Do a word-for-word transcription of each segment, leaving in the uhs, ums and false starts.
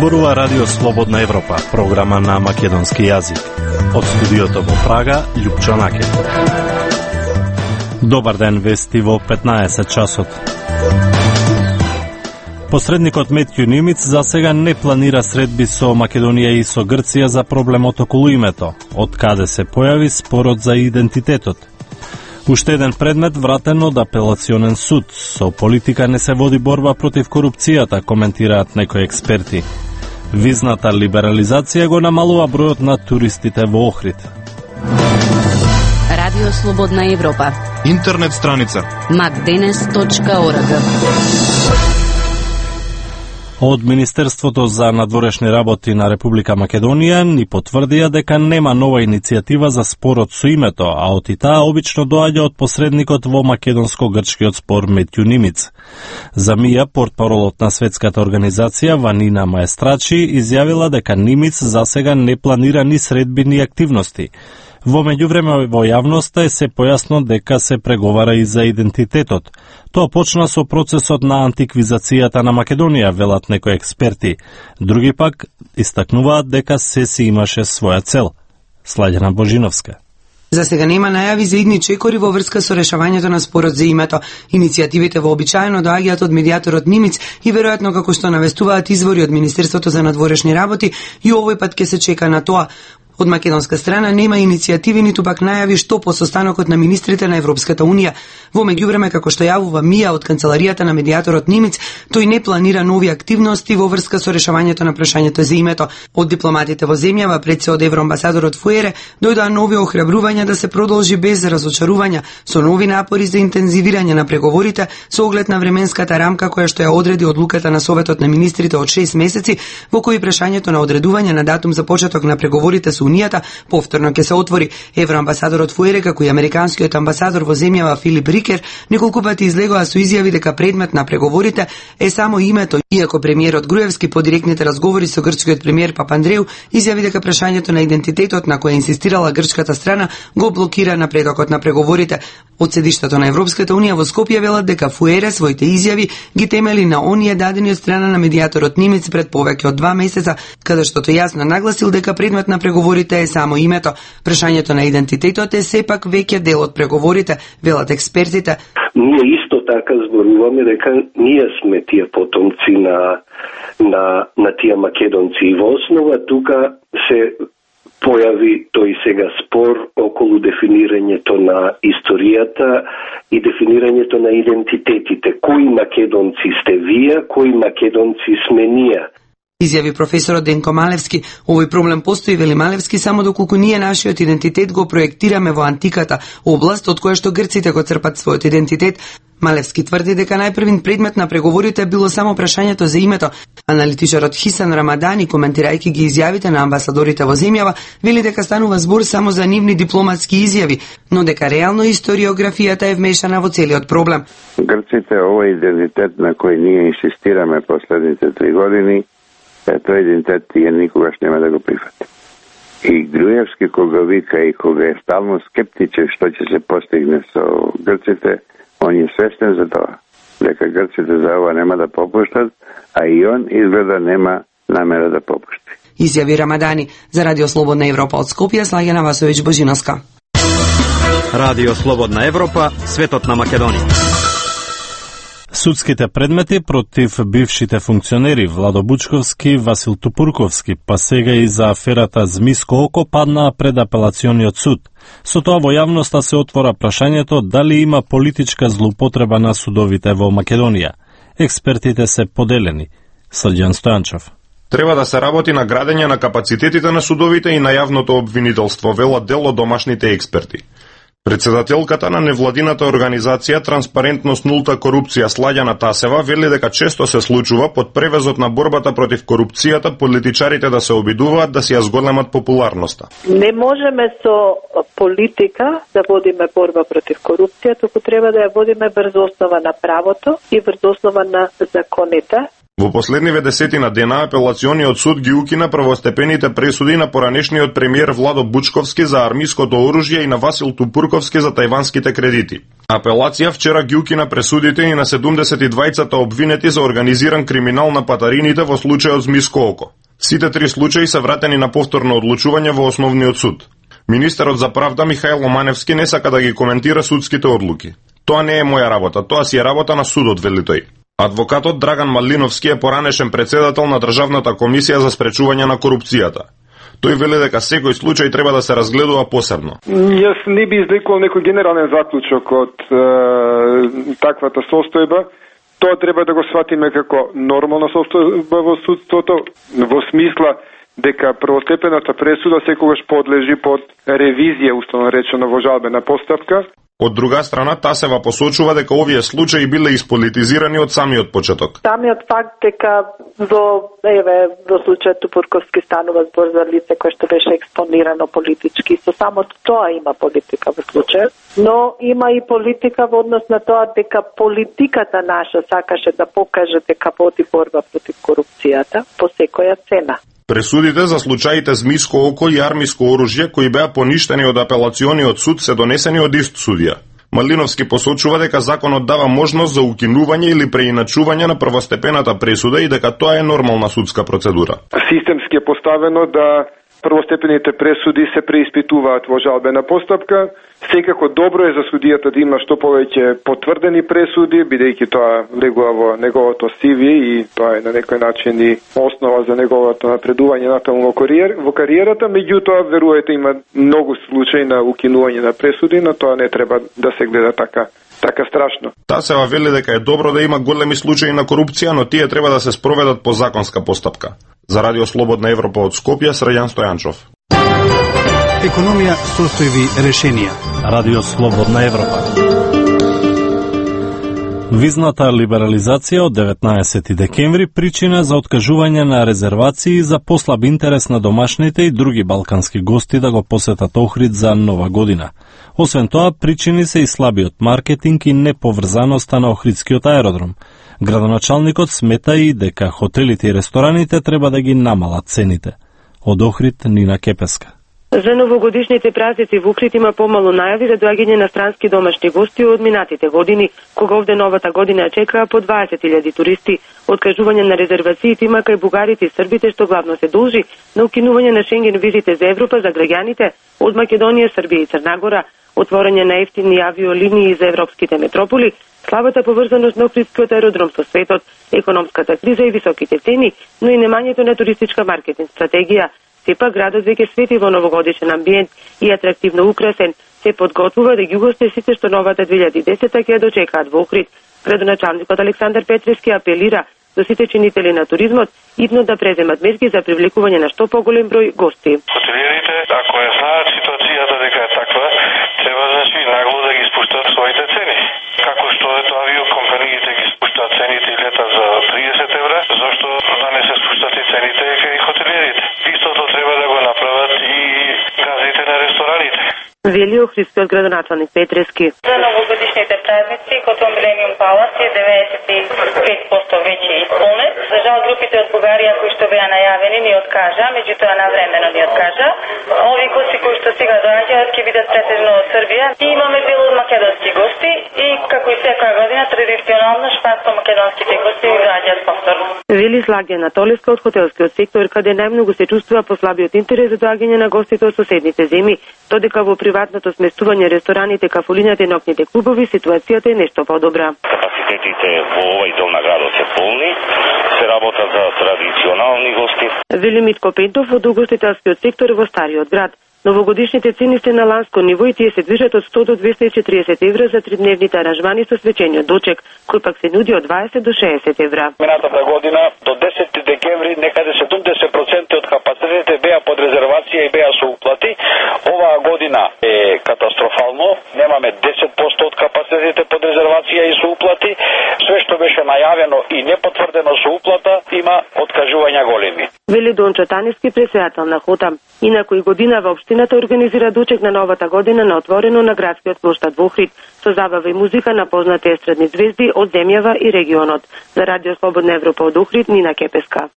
Зборува Радио Слободна Европа, програма на македонски јазик. Од студиото во Прага, Љупчо Накет. Добар ден, вести во петнаесет часот. Посредникот Метју Нимиц за сега не планира средби со Македонија и со Грција за проблемот околу името, од каде се појави спорот за идентитетот. Уште еден предмет вратен од апелационен суд. Со политика не се води борба против корупцијата, коментираат некои експерти. Визната либерализација го намалува бројот на туристите во Охрид. Радио Слободна Европа. Интернет страница макденес точка орг. Од Министерството за надворешни работи на Република Македонија ни потврдија дека нема нова иницијатива за спорот со името, а од и таа обично доаѓа од посредникот во македонско-грчкиот спор Метју Нимиц. За мија, портпаролот на светската организација Ванина Маестрачи изјавила дека Нимиц за сега не планира ни средби ни активности. Во меѓувреме во јавноста е се појасно дека се преговара и за идентитетот. Тоа почна со процесот на антиквизацијата на Македонија, велат некои експерти. Други пак истакнуваат дека се си имаше своја цел. Слаѓана Божиновска. За сега нема најави за идни чекори во врска со решавањето на спорот за името. Иницијативите вообичаено доаѓаат од медијаторот Нимиц и веројатно како што навестуваат извори од Министерството за надворешни работи, и овој пат ќе се чека на тоа. Од македонска страна нема иницијативи ниту пак најави што по состанокот на министрите на Европската Унија. Во меѓувреме, како што јавува Мија од канцеларијата на медијаторот Нимиц, тој не планира нови активности во врска со решавањето на прашањето за името. Од дипломатите во земјава, пред се од евроамбасадорот Фуере, дојдоа нови охрабрувања да се продолжи без разочарувања, со нови напори за интензивирање на преговорите со оглед на временската рамка која што ја одреди одлуката на Советот на министрите од шест месеци, во кој прашањето на одредување на датум за почеток на преговорите со Унијата повторно ќе се отвори. Евроамбасадорот Фуере, како и американскиот амбасадор во земјава Филип Рикер, неколку пати излегоа со изјави дека предмет на преговорите е само името, иако премиерот Груевски по директните разговори со грчкиот премиер Папандреу изјави дека прашањето на идентитетот на кој инсистирала грчката страна го блокира напредокот на преговорите. Од седиштето на Европската Унија во Скопје велат дека Фуере своите изјави ги темели на оние дадени од страна на медијаторот Нимиц пред повеќе од два месеца, каде што тој јасно нагласил дека предмет на преговорите е само името. Прашањето на идентитетот е сепак веќе дел од преговорите, велат експертите. Ние исто така зборуваме дека ние сме тие потомци на на на тие македонци, и во основа тука се појави тој сега спор околу дефинирањето на историјата и дефинирањето на идентитетите. Кои македонци сте вие, кои македонци сме ние? Изјави професорот Денко Малевски. Овој проблем постои, вели Малевски, само доколку ние нашиот идентитет го проектираме во антиката, област од која што грците го црпат својот идентитет. Малевски тврди дека најпрвин предмет на преговорите било само прашањето за името. Аналитичарот Хисан Рамадани, коментирајќи ги изјавите на амбасадорите во земјава, вели дека станува збор само за нивни дипломатски изјави, но дека реално историографијата е вмешана во целиот проблем. Грците овој идентитет на кој ние инсистираме последните три години, тој идентитет тие никогаш нема да го прифати. И Груевски кога вика и кога е стално скептичен што ќе се постигне со грците, он е свестен за тоа, дека грците за ова нема да попуштат, а и он изгледа нема намера да попушти. Изјави Рамадани. За Радио Слободна Европа од Скопје, Слаѓана Васовиќ Божиновска. Радио Слободна Европа, светот на Македонија. Судските предмети против бившите функционери Владо Бучковски, Васил Тупурковски, па сега и за аферата Змиско око паднаа пред апелациониот суд. Со тоа во јавноста се отвора прашањето дали има политичка злоупотреба на судовите во Македонија. Експертите се поделени. Срđan Стојанчев. Треба да се работи на градење на капацитетите на судовите и на јавното обвинителство, велат дел од домашните експерти. Председателката на невладината организација Транспарентност нулта корупција Слаѓана Тасева вели дека често се случува под превезот на борбата против корупцијата политичарите да се обидуваат да си ја зголемат популарноста. Не можеме со политика да водиме борба против корупција, туку треба да ја водиме врз основа на правото и врз основа на законите. Во последниве десетина дена апелациониот суд ги укина првостепените пресуди на поранешниот премиер Владо Бучковски за армиското оружје и на Васил Тупурковски за тајванските кредити. Апелација вчера ги укина пресудите и на седумдесет и двајцата обвинети за организиран криминал на патарините во случајот Змиско око. Сите три случаи се вратени на повторно одлучување во основниот суд. Министерот за правда Михајло Маневски не сака да ги коментира судските одлуки. Тоа не е моја работа, тоа си е работа на судот, вели тој. Адвокатот Драган Малиновски е поранешен председател на Државната комисија за спречување на корупцијата. Тој вели дека секој случај треба да се разгледува посебно. Јас не би извлекол некој генерален заклучок од е, таквата состојба. Тоа треба да го сватиме како нормална состојба во судството, во смисла дека првостепената пресуда секогаш подлежи под ревизија, уставно речено, во жалбена постапка. Од друга страна, Тасева посочува дека овие случаи биле исполитизирани од самиот почеток. Самиот факт дека во еве во случајот Тупурковски станува збор за лице кое што беше експонирано политички, со самото тоа има политика во случајот, но има и политика во однос на тоа дека политиката наша сакаше да покаже дека води борба против корупцијата по секоја цена. Пресудите за случаите Змиско око и армиско оружје кои беа поништени од апелациониот суд се донесени од ист судија. Малиновски посочува дека законот дава можност за укинување или преиначување на првостепената пресуда и дека тоа е нормална судска процедура. Системски е поставено да првостепените пресуди се преиспитуваат во жалбена постапка. Секако добро е за судијата да има што повеќе потврдени пресуди, бидејќи тоа влегува во неговото си ви и тоа е на некој начин и основа за неговото напредување натаму во, кариер, во кариерата. Меѓутоа, веруете, има многу случаи на укинување на пресуди, но тоа не треба да се гледа така така страшно. Тасева вели дека е добро да има големи случаи на корупција, но тие треба да се спроведат по законска постапка. За Радио Слободна Европа од Скопје, Срајан Стојанчов. Економија, состојби, решенија. Радио Слободна Европа. Визната либерализација од деветнаесети декември причина за откажување на резервации за послаб интерес на домашните и други балкански гости да го посетат Охрид за Нова година. Освен тоа, причини се и слабиот маркетинг и неповрзаноста на Охридскиот аеродром. Градоначалникот смета и дека хотелите и рестораните треба да ги намалат цените. Од Охрид, Нина Кепеска. За новогодишните празници во Охрид има помалу најави за доаѓање на странски домашни гости од минатите години, кога овде новата година чекаа по дваесет илјади туристи. Откажување на резервациите има кај бугарите и србите, што главно се должи на укинување на Шенген визите за Европа за граѓаните од Македонија, Србија и Црна Гора, отворање на ефтини авиолинии за европските метрополи, слабата поврзаност на Охридскиот аеродром со светот, економската криза и високите цени, но и немањето на туристичка маркетинг стратегија. Сепак градот веќе свети во новогодишен амбиент и атрактивно украсен, се подготвува да ги угости сите што новата две илјади и десета ќе дочекаат во Охрид. Градоначалникот Александар Петревски апелира до сите чинители на туризмот итно да преземат мерки за привлекување на што поголем број гости. Хотелиерите, ако е знаат ситуацијата дека е таква, треба значи нагло да ги спуштат своите цени. Како што ето авиокомпаниите ги спуштат цените и лета за триесет евра, зашто да не се спуштат и цените кај хотелиерите? Истото треба да го направат и газите на рестораните. Вели Охридскиот градоначалник Петревски. За новогодишните празници Хотел Милениум Палас е деветдесет и пет проценти веќе исполнет. За жал групите од Бугарија кои што беа најавени ни откажа, меѓутоа навремено ни откажа. Ови гости кои што сега доаѓаат ќе бидат претежно од Србија и имаме дел од македонски гости и како и секоја година традиционално шпанско-македонските гости доаѓаат повторно. Вели Слагјана Толеска од хотелскиот сектор, каде најмногу се чувствува послабиот интерес за доаѓање на гостите од соседните земји, додека во приватното сместување, рестораните, кафулињата и ноќните клубови ситуацијата е нешто подобра. Капацитетите во овој дел на градот се полни, се работа за традиционални гости. Вели Митко Пентов од угостителскиот сектор во Стариот град. Новогодишните цени се на ланско ниво и тие се движат од сто до двесте и четириесет евра за тридневните аранжмани со свечениот дочек, кој пак се нуди од дваесет до шеесет евра. Минатата година до десети декември некаде седумдесет проценти од капацитетите беа под резервација и беа со уплати. Оваа година е катастрофално. Немаме десет проценти од капацитетите под резервација и со уплати. Све што беше најавено и непотврдено со уплата има откажувања големи. Вели Дончо Таниски, председател на ХОТА. Инаку и годинава општината организира дочек на новата година на отворено на градскиот площад во Охрид, со забава и музика на познати естрадни звезди од земјава и регионот. За Радио Слободна Европа од Охрид, Нина Кепеска.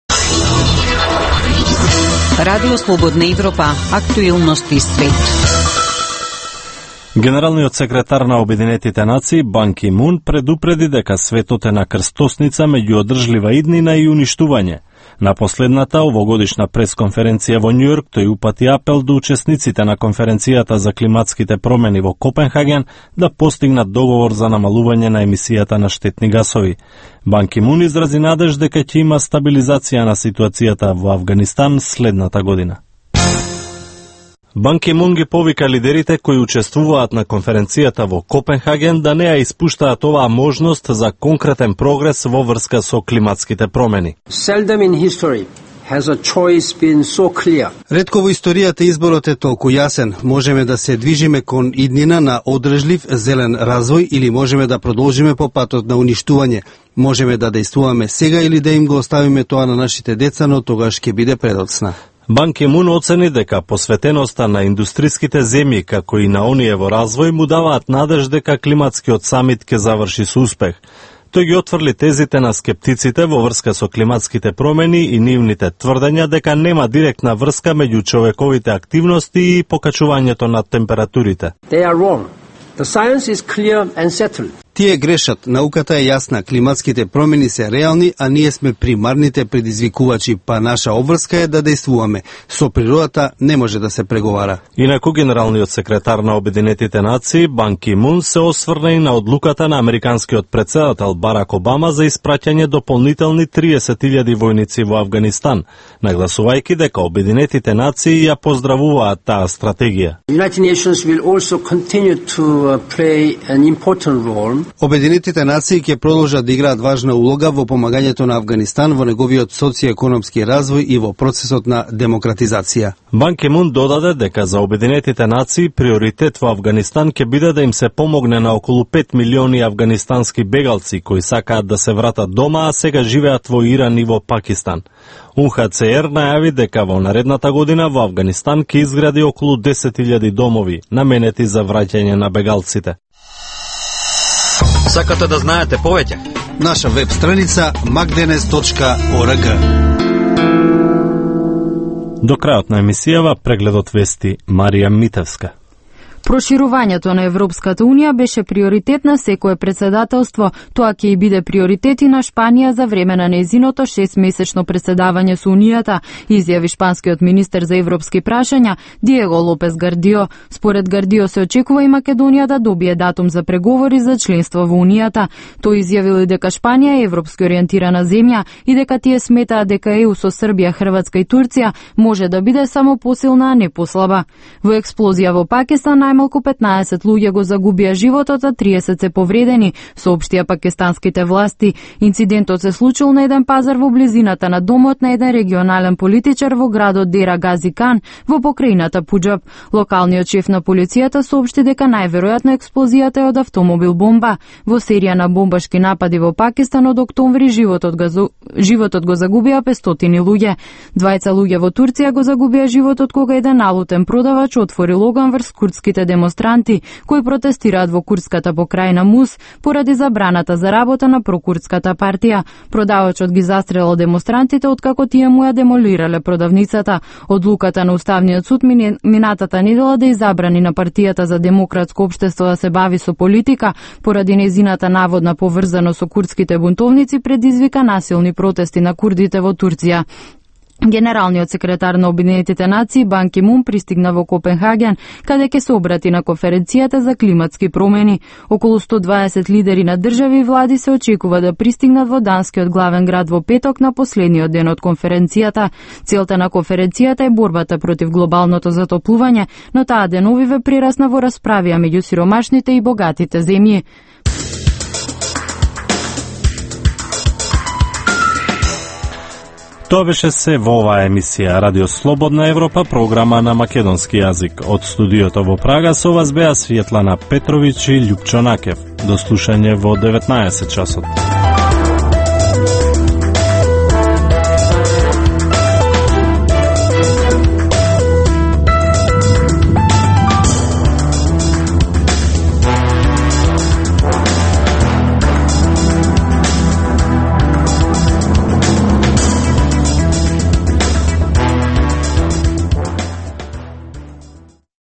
Радио Слободна Европа, актуелности свет. Генералниот секретар на Обединетите нации Бан Ки Мун предупреди дека светот е на крстосница меѓу одржлива иднина и уништување. На последната овогодишна пресконференција во Њујорк тој упати апел до учесниците на конференцијата за климатските промени во Копенхаген да постигнат договор за намалување на емисијата на штетни гасови. Бан Ки Мун изрази надеж дека ќе има стабилизација на ситуацијата во Авганистан следната година. Бан Ки Мун ги повика лидерите кои учествуваат на конференцијата во Копенхаген да не ја испуштаат оваа можност за конкретен прогрес во врска со климатските промени. Seldom in history has a choice been so clear. Ретко во историјата изборот е толку јасен. Можеме да се движиме кон иднина на одржлив зелен развој или можеме да продолжиме по патот на уништување. Можеме да дејствуваме сега или да им го оставиме тоа на нашите деца, но тогаш ќе биде предоцна. Бан Ки Мун оцени дека посветеноста на индустриските земји, како и на оние во развој, му даваат надеж дека климатскиот самит ќе заврши со успех. Тој ги отврли тезите на скептиците во врска со климатските промени и нивните тврдења дека нема директна врска меѓу човековите активности и покачувањето на температурите. They are wrong. The science is clear and settled. Тие грешат, науката е јасна, климатските промени се реални, а ние сме примарните предизвикувачи, па наша обврска е да дејствуваме. Со природата не може да се преговара. Инаку генералниот секретар на Обединетите нации Бан Ки Мун се осврна и на одлуката на американскиот председател Барак Обама за испраќање дополнителни триесет илјади војници во Авганистан, нагласувајќи дека Обединетите нации ја поздравуваат таа стратегија. United Nations will also continue to play an important role. Обединетите нации ќе продолжат да играат важна улога во помагањето на Авганистан во неговиот социјекономски развој и во процесот на демократизација. Бан Ки Мун додаде дека за Обединетите нации приоритет во Авганистан ќе биде да им се помогне на околу пет милиони авганистански бегалци кои сакаат да се вратат дома, а сега живеат во Иран и во Пакистан. У Н Х Ц Р најави дека во наредната година во Авганистан ќе изгради околу десет илјади домови наменети за враќање на бегалците. Сакате да знаете повеќе? Наша веб страница макденес точка орг. До крајот на емисијава прегледот вести Марија Митевска. Проширувањето на Европската Унија беше приоритет на секое председателство. Тоа ќе и биде приоритет и на Шпанија за време на нејзиното шестмесечно председавање со Унијата, изјави шпанскиот министер за европски прашања Диего Лопес Гардио. Според Гардио се очекува и Македонија да добие датум за преговори за членство во Унијата. Тој изјавил и дека Шпанија е европски ориентирана земја и дека тие сметаат дека Е У со Србија, Хрватска и Турција може да биде само посилна, а не послаба. Во експлозија во Пакистан најмалку петнаесет луѓе го загубија животот, а триесет се повредени, соопштија пакистанските власти. Инцидентот се случил на еден пазар во близината на домот на еден регионален политичар во градот Дера Гази Кан во покрајината Пуџаб. Локалниот шеф на полицијата соопшти дека најверојатно експлозијата е од автомобил бомба. Во серија на бомбашки напади во Пакистан од октомври животот го, животот го загубија петстотини луѓе. Двајца луѓе во Турција го загубија животот кога еден налутен продавач отвори логан врз курдските демонстранти кои протестираат во курдската покрајна Мус поради забраната за работа на прокурдската партија. Продавачот ги застрелил демонстрантите откако тие му ја демолирале продавницата. Одлуката на Уставниот суд минатата недела да изабрани на партијата за демократско општество да се бави со политика поради нејзината наводна поврзано со курдските бунтовници предизвика насилни протести на курдите во Турција. Генералниот секретар на Обединетите нации Бан Ки Мун пристигна во Копенхаген, каде ќе се обрати на конференцијата за климатски промени. Околу сто дваесет лидери на држави и влади се очекува да пристигнат во данскиот главен град во петок на последниот ден од конференцијата. Целта на конференцијата е борбата против глобалното затоплување, но таа деновиве прерасна во расправија меѓу сиромашните и богатите земји. Тоа беше се во оваа емисија Радио Слободна Европа, програма на македонски јазик. Од студиото во Прага со вас беа Светлана Петровиќ и Љупчо Накев. До слушање во деветнаесет часот.